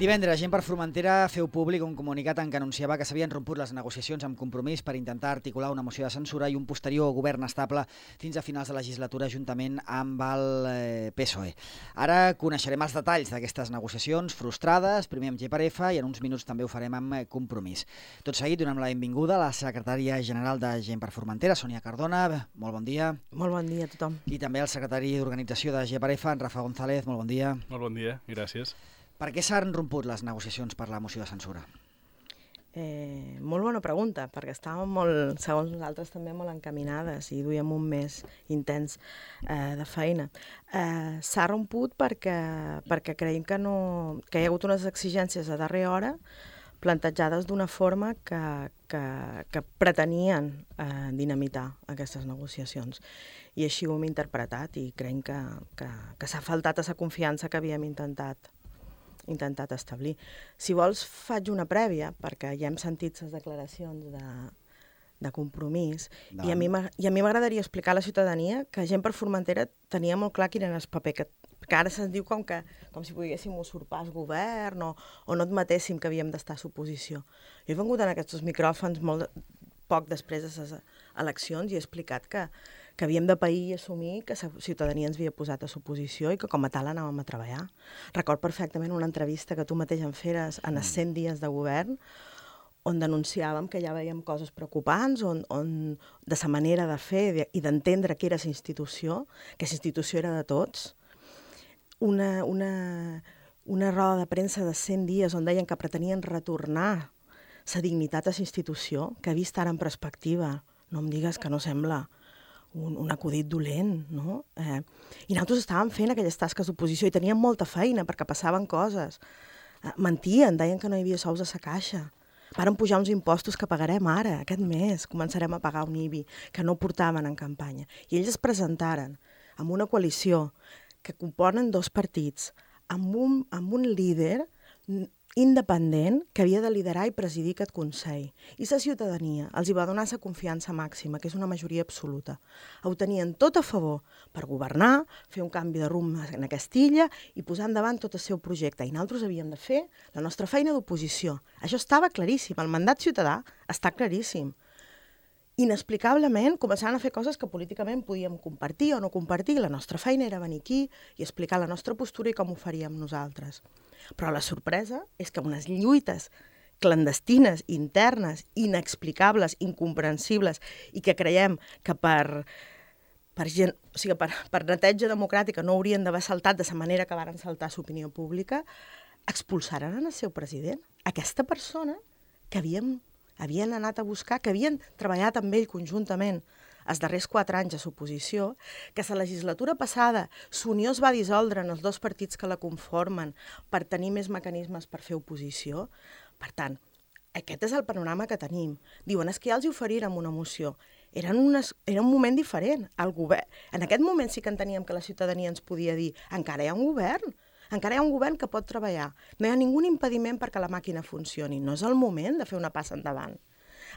Divendres, Gent per Formentera feu públic un comunicat en què anunciava que s'havien romput les negociacions amb Compromís per intentar articular una moció de censura i un posterior govern estable fins a finals de legislatura juntament amb el PSOE. Ara coneixerem els detalls d'aquestes negociacions frustrades, primer amb GPRF i en uns minuts també ho farem amb Compromís. Tot seguit donem la benvinguda a la secretària general de Gent per Formentera, Sònia Cardona. Molt bon dia. Molt bon dia a tothom. I també el secretari d'organització de GPRF, en Rafa González. Molt bon dia. Molt bon dia i gràcies. Per què s'han romput les negociacions per la moció de censura? Molt bona pregunta, perquè estàvem molt, segons nosaltres, també molt encaminades i duíem un mes intens de feina. S'ha romput perquè creiem que hi ha hagut unes exigències a darrera hora plantejades d'una forma que pretenien dinamitar aquestes negociacions. I així ho hem interpretat i creiem que s'ha faltat a la confiança que havíem intentat establir. Si vols, faig una prèvia, perquè ja hem sentit les declaracions de Compromís, i a mi m'agradaria explicar a la ciutadania que Gent per Formentera tenia molt clar quin era el paper, que ara se'ns diu com si poguéssim usurpar el govern o no admetéssim que havíem d'estar a l'oposició. Jo he vengut en aquests micròfons molt poc després de les eleccions i he explicat que havíem de pair i assumir que la ciutadania ens havia posat a l'oposició i que com a tal anàvem a treballar. Record perfectament una entrevista que tu mateix em feres en els 100 dies de govern on denunciàvem que ja veiem coses preocupants, on de la manera de fer i d'entendre què era la institució, que la institució era de tots. Una roda de premsa de 100 dies on deien que pretenien retornar la dignitat a la institució, que vist ara en perspectiva, no em digues que no sembla un acudit dolent, no? I nosaltres estàvem fent aquelles tasques d'oposició i teníem molta feina perquè passaven coses. Mentien, deien que no hi havia sous a la caixa. Varen pujar uns impostos que pagarem ara, aquest mes. Començarem a pagar un IBI, que no portaven en campanya. I ells es presentaren amb una coalició que componen dos partits, amb un líder independent que havia de liderar i presidir aquest Consell. I la ciutadania els hi va donar la confiança màxima, que és una majoria absoluta. Ho tenien tot a favor per governar, fer un canvi de rumb en aquesta illa i posar endavant tot el seu projecte. I nosaltres havíem de fer la nostra feina d'oposició. Això estava claríssim, el mandat ciutadà està claríssim. Inexplicablement començaven a fer coses que políticament podíem compartir o no compartir. La nostra feina era venir aquí i explicar la nostra postura i com ho faríem nosaltres. Però la sorpresa és que unes lluites clandestines, internes, inexplicables, incomprensibles, i que creiem que per neteja democràtica no haurien d'haver saltat de la manera que varen saltar l'opinió pública, expulsaren el seu president. Aquesta persona que havien anat a buscar, que havien treballat amb ell conjuntament els darrers 4 anys a l'oposició, que la legislatura passada l'Unió es va dissoldre en els dos partits que la conformen per tenir més mecanismes per fer oposició. Per tant, aquest és el panorama que tenim. Diuen, és que ja els oferirem una moció. Era un moment diferent. En aquest moment sí que enteníem que la ciutadania ens podia dir encara hi ha un govern. Encara hi ha un govern que pot treballar. No hi ha ningú impediment perquè la màquina funcioni. No és el moment de fer una passa endavant.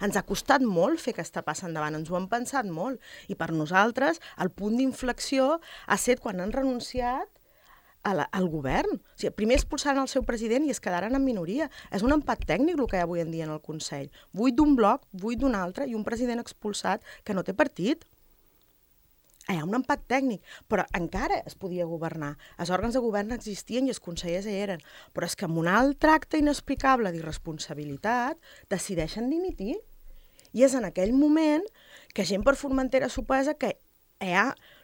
Ens ha costat molt fer aquesta passa endavant, ens ho hem pensat molt. I per nosaltres el punt d'inflexió ha estat quan han renunciat al govern. O sigui, primer expulsaren el seu president i es quedaren en minoria. És un empat tècnic el que hi ha avui en dia en el Consell. 8 d'un bloc, 8 d'un altre i un president expulsat que no té partit. Hi ha un empat tècnic, però encara es podia governar. Els òrgans de govern existien i els consellers hi eren. Però és que amb un alt tracte inexplicable d'irresponsabilitat decideixen dimitir. I és en aquell moment que Gent per Formentera supesa que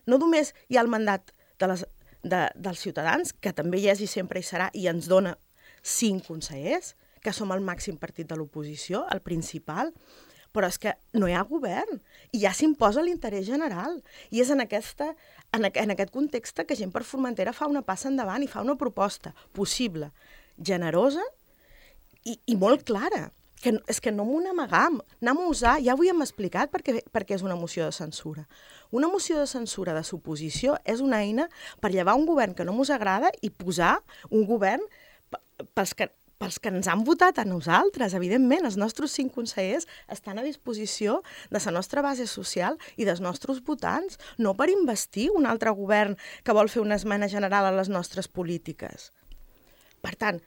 no només hi ha el mandat dels ciutadans, que també hi és i sempre hi serà, i ens dona 5 consellers, que som el màxim partit de l'oposició, el principal, però és que no hi ha govern i ja s'imposa l'interès general. I és en aquest context que Gent per Formentera fa una passa endavant i fa una proposta possible, generosa i molt clara. És que no m'ho n'amagam. Anem a usar, ja ho hem explicat perquè és una moció de censura. Una moció de censura de l'oposició és una eina per llevar un govern que no mos agrada i posar un govern pels que ens han votat a nosaltres. Evidentment, els nostres 5 consellers estan a disposició de la nostra base social i dels nostres votants, no per investir un altre govern que vol fer una esmena general a les nostres polítiques. Per tant,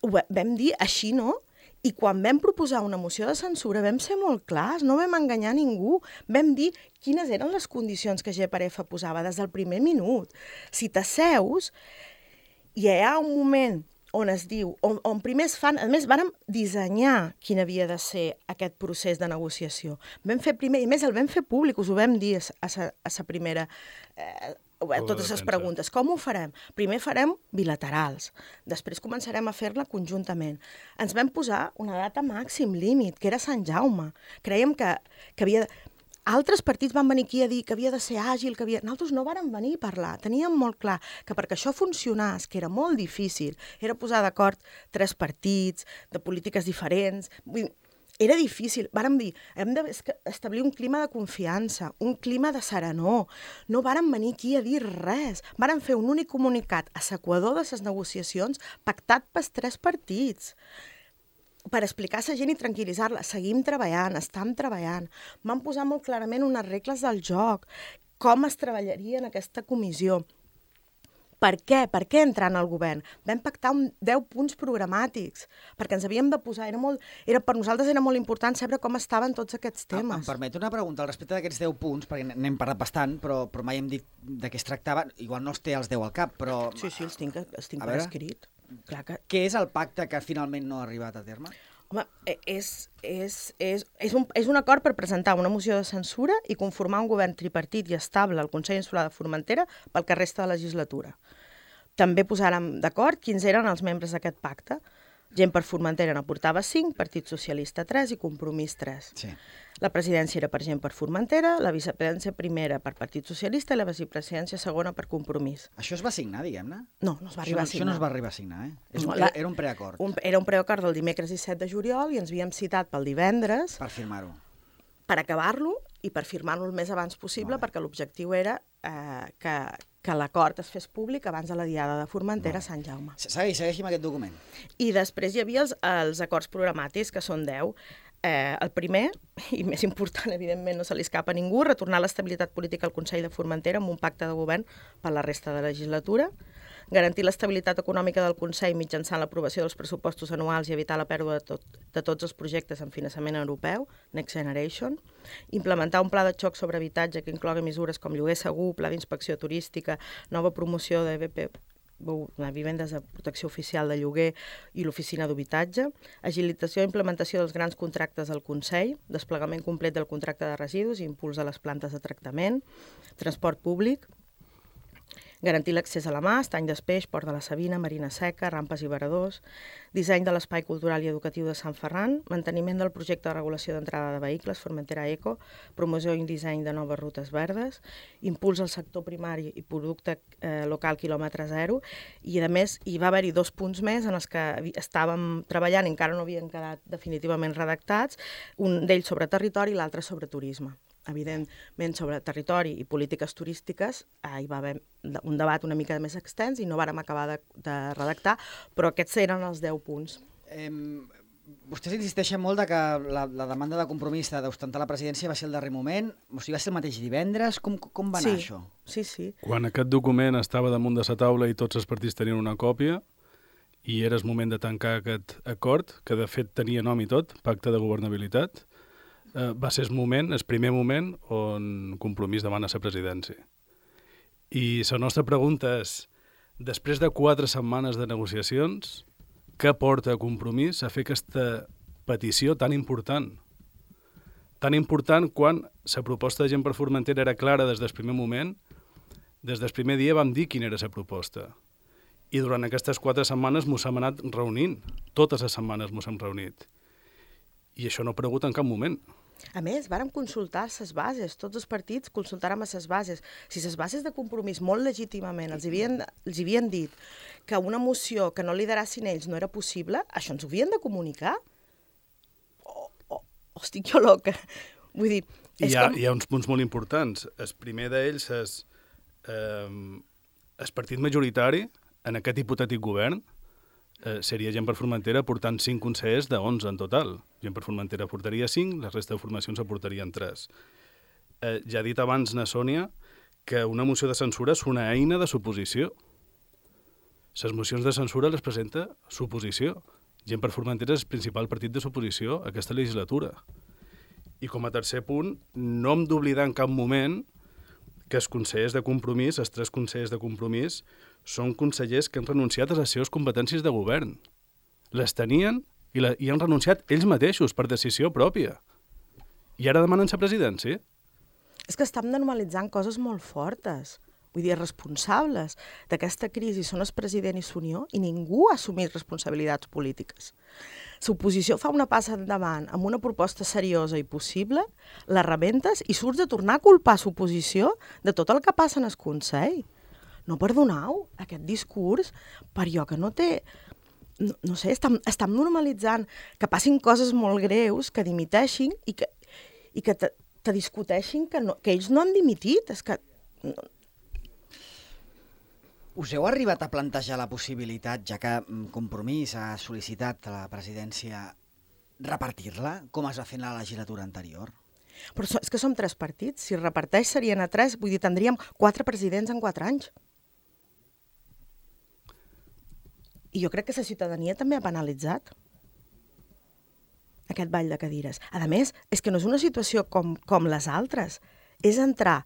vam dir així no, i quan vam proposar una moció de censura vam ser molt clars, no vam enganyar ningú. Vam dir quines eren les condicions que GPRF posava des del primer minut. Si t'asseus, hi ha un moment on es diu, on primer es fan, a més, vàrem dissenyar quin havia de ser aquest procés de negociació. Vam fer primer, i a més el vam fer públic, us ho vam dir a sa primera... totes les preguntes. Com ho farem? Primer farem bilaterals, després començarem a fer-la conjuntament. Ens vam posar una data màxim límit, que era Sant Jaume. Creiem que havia... Altres partits van venir aquí a dir que havia de ser àgil, que havia... Nosaltres no vàrem venir a parlar. Teníem molt clar que perquè això funcionés, que era molt difícil, era posar d'acord 3 partits, de polítiques diferents... Vull dir, era difícil. Vàrem dir, hem d'establir un clima de confiança, un clima de serenor. No vàrem venir aquí a dir res. Vàrem fer un únic comunicat a l'equador de les negociacions pactat pels 3 partits per explicar a la gent i tranquil·litzar-la. Seguim treballant, estem treballant. Vam posar molt clarament unes regles del joc, com es treballaria en aquesta comissió. Per què? Per què entrar al govern? Vam pactar 10 punts programàtics, perquè ens havíem de posar... per nosaltres era molt important saber com estaven tots aquests temes. Em permet una pregunta al respecte d'aquests 10 punts, perquè n'hem parlat bastant, però mai hem dit de què es tractava. Igual no els té els 10 al cap, però... Sí, els tinc per escrit. Clar que... Què és el pacte que finalment no ha arribat a terme? Home, és un acord per presentar una moció de censura i conformar un govern tripartit i estable al Consell Insular de Formentera pel que resta de legislatura. També posàrem d'acord quins eren els membres d'aquest pacte. Gent per Formentera n'aportava 5, Partit Socialista 3 i Compromís 3. Sí. La presidència era per Gent per Formentera, la vicepresidència primera per Partit Socialista i la vicepresidència segona per Compromís. Això es va signar, diguem-ne? No, no es va arribar a signar. Això no es va arribar a signar, Era un preacord. Era un preacord del dimecres 17 de juliol i ens havíem citat pel divendres... Per firmar-ho. Per acabar-lo i per firmar-lo el més abans possible, perquè l'objectiu era que l'acord es fes públic abans de la diada de Formentera a Sant Jaume. Segueixi amb aquest document. I després hi havia els acords programàtics, que són 10. El primer, i més important, evidentment, no se li escapa a ningú, retornar l'estabilitat política al Consell de Formentera amb un pacte de govern per la resta de la legislatura, garantir l'estabilitat econòmica del Consell mitjançant l'aprovació dels pressupostos anuals i evitar la pèrdua de tots els projectes en finançament europeu, Next Generation, implementar un pla de xoc sobre habitatge que inclogui mesures com lloguer segur, pla d'inspecció turística, nova promoció de vivendes de protecció oficial de lloguer i l'oficina d'habitatge, agilitació i implementació dels grans contractes del Consell, desplegament complet del contracte de residus i impuls de les plantes de tractament, transport públic, garantir l'accés a la mà, estany d'Espeix, Port de la Sabina, Marina Seca, rampes i varadors, disseny de l'espai cultural i educatiu de Sant Ferran, manteniment del projecte de regulació d'entrada de vehicles, Formentera Eco, promoció i disseny de noves rutes verdes, impuls al sector primari i producte local quilòmetre zero, i a més hi va haver-hi 2 punts més en els que estàvem treballant i encara no havien quedat definitivament redactats, un d'ells sobre territori i l'altre sobre turisme. Evidentment, sobre territori i polítiques turístiques hi va haver un debat una mica més extens i no vàrem acabar de redactar, però aquests eren els 10 punts. Vostès insisteixen molt que la demanda de Compromís d'ostentar la presidència va ser el darrer moment, o sigui, va ser el mateix divendres, com va anar això? Sí. Quan aquest document estava damunt de la taula i tots els partits tenien una còpia, i era el moment de tancar aquest acord, que de fet tenia nom i tot, Pacte de Governabilitat, va ser el primer moment on Compromís demana la presidència. I la nostra pregunta és, després de 4 setmanes de negociacions, què porta a Compromís a fer aquesta petició tan important? Tan important quan la proposta de Gent per Formentera era clara des del primer moment, des del primer dia vam dir quina era la proposta. I durant aquestes 4 setmanes mos hem anat reunint. Totes les setmanes mos hem reunit. I això no ha aparegut en cap moment. A més, vàrem consultar les bases, tots els partits consultàrem les bases. Si les bases de Compromís molt legítimament els havien dit que una moció que no liderassin ells no era possible, això ens ho havien de comunicar? O estic jo loca? Vull dir... Hi ha uns punts molt importants. El primer d'ells és el partit majoritari en aquest hipotètic govern seria Gent per Formentera portant 5 consellers de 11 en total. Gent per Formentera portaria 5, la resta de formacions aportarien 3. Ja ha dit abans na Sònia que una moció de censura és una eina de suposició. Les mocions de censura les presenta l'oposició. Gent per Formentera és el principal partit de l'oposició a aquesta legislatura. I com a tercer punt, no hem d'oblidar en cap moment que els consellers de Compromís, els 3 consellers de Compromís, són consellers que han renunciat a les seves competències de govern. Les tenien i han renunciat ells mateixos per decisió pròpia. I ara demanen la presidència. És que estem normalitzant coses molt fortes. Vull dir, responsables d'aquesta crisi són el president i l'Unió i ningú ha assumit responsabilitats polítiques. L'oposició fa una passa endavant amb una proposta seriosa i possible, la rebentes i surts de tornar a culpar l'oposició de tot el que passa en el Consell. No perdoneu aquest discurs per allò que no té... No sé, estem normalitzant que passin coses molt greus, que dimiteixin i que te discuteixin que ells no han dimitit. És que... Us heu arribat a plantejar la possibilitat, ja que Compromís ha sol·licitat a la presidència, repartir-la, com es va fer en la legislatura anterior? Però és que som 3 partits. Si es reparteix serien a 3, vull dir, tindríem 4 presidents en 4 anys. I jo crec que la ciutadania també ha penalitzat aquest ball de cadires. A més, és que no és una situació com les altres. És entrar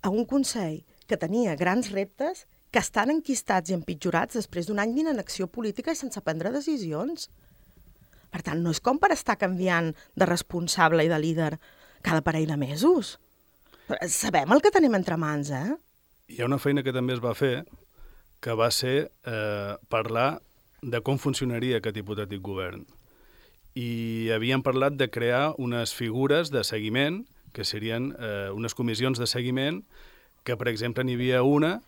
a un Consell que tenia grans reptes que estan enquistats i empitjorats després d'un any d'inacció política i sense prendre decisions. Per tant, no és com per estar canviant de responsable i de líder cada parell de mesos. Sabem el que tenim entre mans, Hi ha una feina que també es va fer, que va ser parlar de com funcionaria aquest hipotètic govern. I havíem parlat de crear unes figures de seguiment, que serien unes comissions de seguiment, que, per exemple, n'hi havia una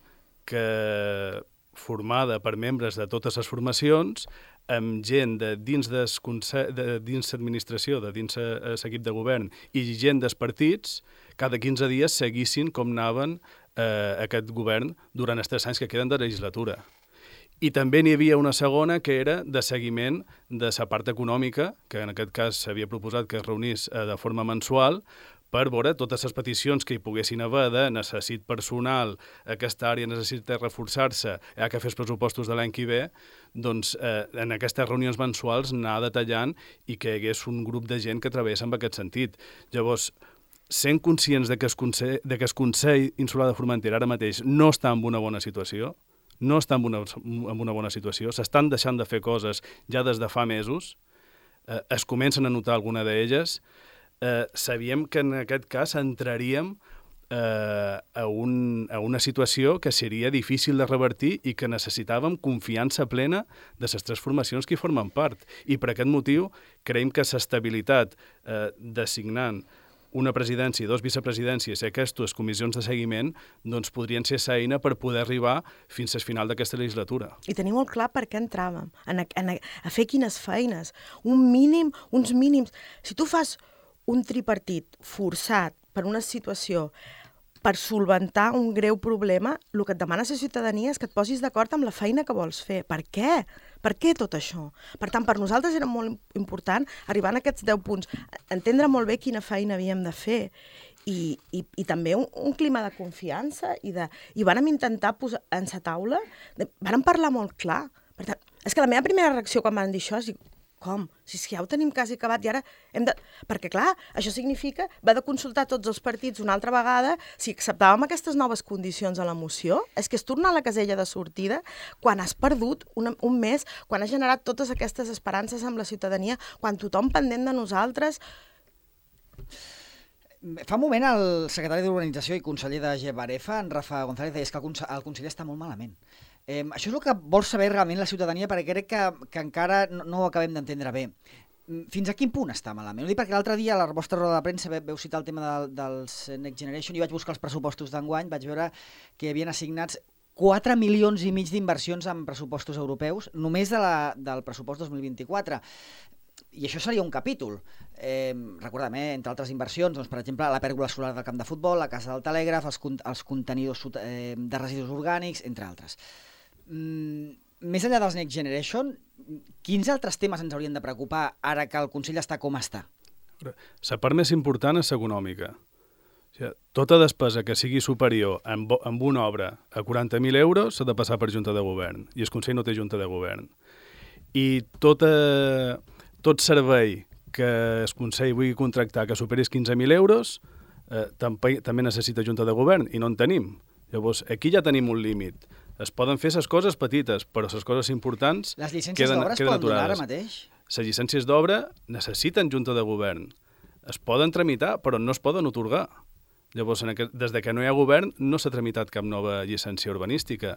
que formada per membres de totes les formacions, amb gent de dins l'administració, de dins l'equip de govern i gent dels partits, cada 15 dies seguissin com anaven aquest govern durant els 3 anys que queden de legislatura. I també n'hi havia una segona que era de seguiment de la part econòmica, que en aquest cas s'havia proposat que es reunís de forma mensual, per veure totes les peticions que hi poguessin haver de necessit personal, aquesta àrea necessita reforçar-se, hi ha que fer els pressupostos de l'any que ve, doncs en aquestes reunions mensuals anar detallant i que hi hagués un grup de gent que treballés en aquest sentit. Llavors, sent conscients que el Consell Insular de Formentera ara mateix no està en una bona situació, s'estan deixant de fer coses ja des de fa mesos, es comencen a notar alguna d'elles, sabíem que en aquest cas entraríem a una situació que seria difícil de revertir i que necessitàvem confiança plena de les 3 formacions que hi formen part. I per aquest motiu creiem que l'estabilitat designant una presidència i 2 vicepresidències i aquestes comissions de seguiment doncs podrien ser l'eina per poder arribar fins al final d'aquesta legislatura. I tenir molt clar per què entràvem, a fer quines feines, uns mínims. Si tu fas un tripartit forçat per una situació per solventar un greu problema, el que et demana la ciutadania és que et posis d'acord amb la feina que vols fer. Per què? Per què tot això? Per tant, per nosaltres era molt important arribar a aquests 10 punts, entendre molt bé quina feina havíem de fer i també un clima de confiança i vàrem intentar posar en la taula, vàrem parlar molt clar. Per tant, és que la meva primera reacció quan van dir això és dir, com? Si és que ja ho tenim quasi acabat i ara hem de... Perquè, clar, això significa haver de consultar tots els partits una altra vegada si acceptàvem aquestes noves condicions a la moció. És que és tornar a la casella de sortida quan has perdut un mes, quan has generat totes aquestes esperances amb la ciutadania, quan tothom pendent de nosaltres... Fa un moment el secretari d'Urbanització i conseller de Gebarefa, en Rafa González, deia que el conseller està molt malament. Això és el que vol saber realment la ciutadania, perquè crec que encara no ho acabem d'entendre bé. Fins a quin punt està malament? Ho dic perquè l'altre dia a la vostra roda de premsa veu citar el tema dels Next Generation i vaig buscar els pressupostos d'enguany, vaig veure que hi havien assignats 4,5 milions d'inversions en pressupostos europeus només del pressupost 2024. I això seria un capítol. Recordem, entre altres inversions, doncs, per exemple, la pèrgola solar del camp de futbol, la casa del telègraf, els contenidors de residus orgànics, entre altres. Més enllà dels Next Generation, quins altres temes ens haurien de preocupar ara que el Consell està com està? La part més important és l'econòmica. O sigui, tota despesa que sigui superior amb una obra a 40.000 euros s'ha de passar per Junta de Govern, i el Consell no té Junta de Govern. I tot servei que el Consell vulgui contractar que superis 15.000 euros també necessita Junta de Govern, i no en tenim. Llavors, aquí ja tenim un límit. Es poden fer les coses petites, però les coses importants les llicències d'obra es poden donar ara mateix? Les llicències d'obra necessiten Junta de Govern. Es poden tramitar, però no es poden atorgar. Llavors, des que no hi ha govern, no s'ha tramitat cap nova llicència urbanística.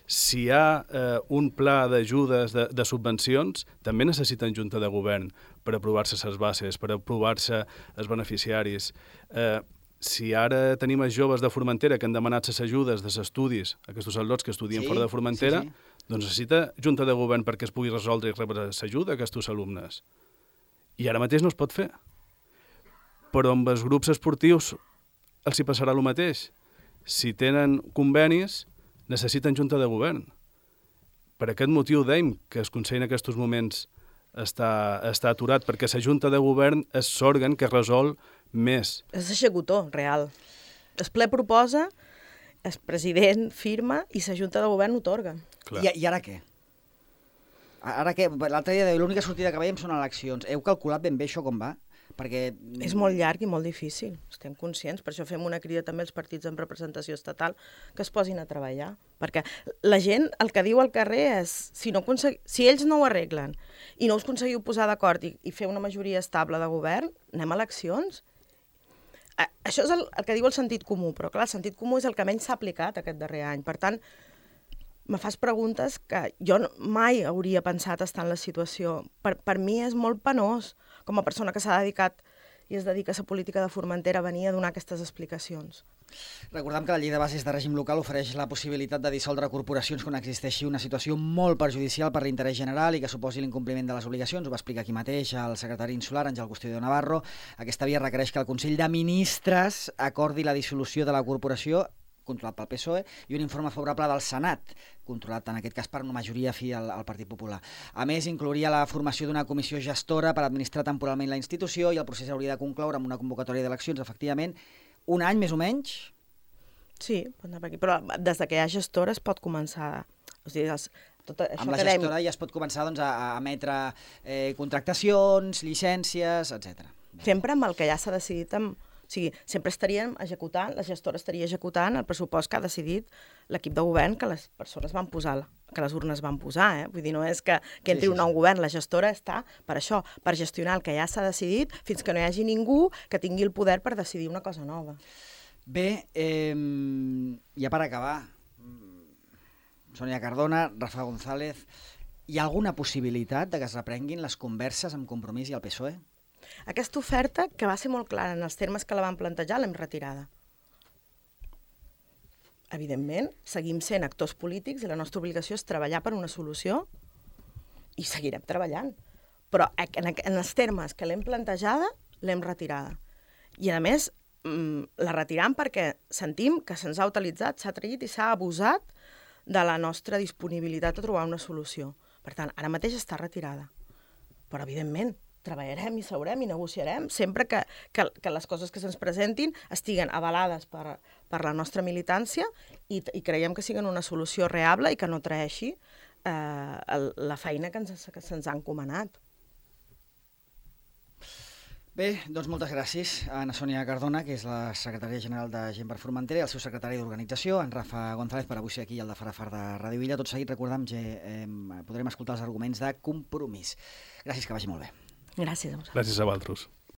Si hi ha un pla d'ajudes, de subvencions, també necessiten Junta de Govern per aprovar-se les bases, per aprovar-se els beneficiaris. Si ara tenim els joves de Formentera que han demanat les ajudes dels estudis, aquests al·lots que estudien fora de Formentera, doncs necessita Junta de Govern perquè es pugui resoldre i rebre l'ajuda a aquests alumnes. I ara mateix no es pot fer. Però amb els grups esportius els hi passarà el mateix. Si tenen convenis, necessiten Junta de Govern. Per aquest motiu dèiem que el Consell en aquests moments està aturat, perquè la Junta de Govern és l'òrgan que resol més. És executor, real. El ple proposa, el president firma i la Junta de Govern otorga. I ara què? Ara què? L'altre dia l'única sortida que veiem són eleccions. Heu calculat ben bé això com va? Perquè és molt llarg i molt difícil, estem conscients, per això fem una crida també als partits amb representació estatal que es posin a treballar, perquè la gent el que diu al carrer és si ells no ho arreglen i no us aconseguiu posar d'acord i fer una majoria estable de govern, anem a eleccions. Això és el que diu el sentit comú, però clar, el sentit comú és el que menys s'ha aplicat aquest darrer any, per tant, me fas preguntes que jo mai hauria pensat estar en la situació. Per mi és molt penós, com a persona que s'ha dedicat i es dedica a la política de Formentera, venir a donar aquestes explicacions. Recordem que la llei de bases de règim local ofereix la possibilitat de dissoldre corporacions quan existeixi una situació molt perjudicial per l'interès general i que suposi l'incompliment de les obligacions. Ho va explicar aquí mateix el secretari insular, Àngel Custodio Navarro. Aquesta via requereix que el Consell de Ministres acordi la dissolució de la corporació, controlat pel PSOE, i un informe favorable del Senat, controlat en aquest cas per una majoria fi al Partit Popular. A més, inclouria la formació d'una comissió gestora per administrar temporalment la institució i el procés hauria de concloure amb una convocatòria d'eleccions, efectivament, un any més o menys? Sí, però des que hi ha gestora es pot començar. O sigui, amb la gestora ja es pot començar a emetre contractacions, llicències, etc. Sempre amb el que ja s'ha decidit O sigui, sempre estaríem executant, la gestora estaria executant el pressupost que ha decidit l'equip de govern que les persones van posar, que les urnes van posar. Vull dir, no és que entri un nou govern, la gestora està per això, per gestionar el que ja s'ha decidit fins que no hi hagi ningú que tingui el poder per decidir una cosa nova. Bé, ja per acabar, Sònia Cardona, Rafa González, hi ha alguna possibilitat de que es reprenguin les converses amb Compromís i el PSOE? Aquesta oferta, que va ser molt clara en els termes que la van plantejar, l'hem retirada. Evidentment, seguim sent actors polítics i la nostra obligació és treballar per una solució i seguirem treballant. Però en els termes que l'hem plantejada, l'hem retirada. I, a més, la retirem perquè sentim que se'ns ha utilitzat, s'ha traït i s'ha abusat de la nostra disponibilitat a trobar una solució. Per tant, ara mateix està retirada. Però, evidentment, treballarem i seurem i negociarem sempre que les coses que se'ns presentin estiguen avalades per la nostra militància i creiem que siguin una solució reable i que no traeixi la feina que se'ns ha encomanat. Bé, doncs moltes gràcies a Ana Sònia Cardona, que és la secretària general de Gent per Formentera, i el seu secretari d'Organització, en Rafa González, per avui ser aquí al de Farafar de Ràdio Illa. Tot seguit, recordem que podrem escoltar els arguments de Compromís. Gràcies, que vagi molt bé. Gràcies a vosaltres. Gràcies a vosaltres.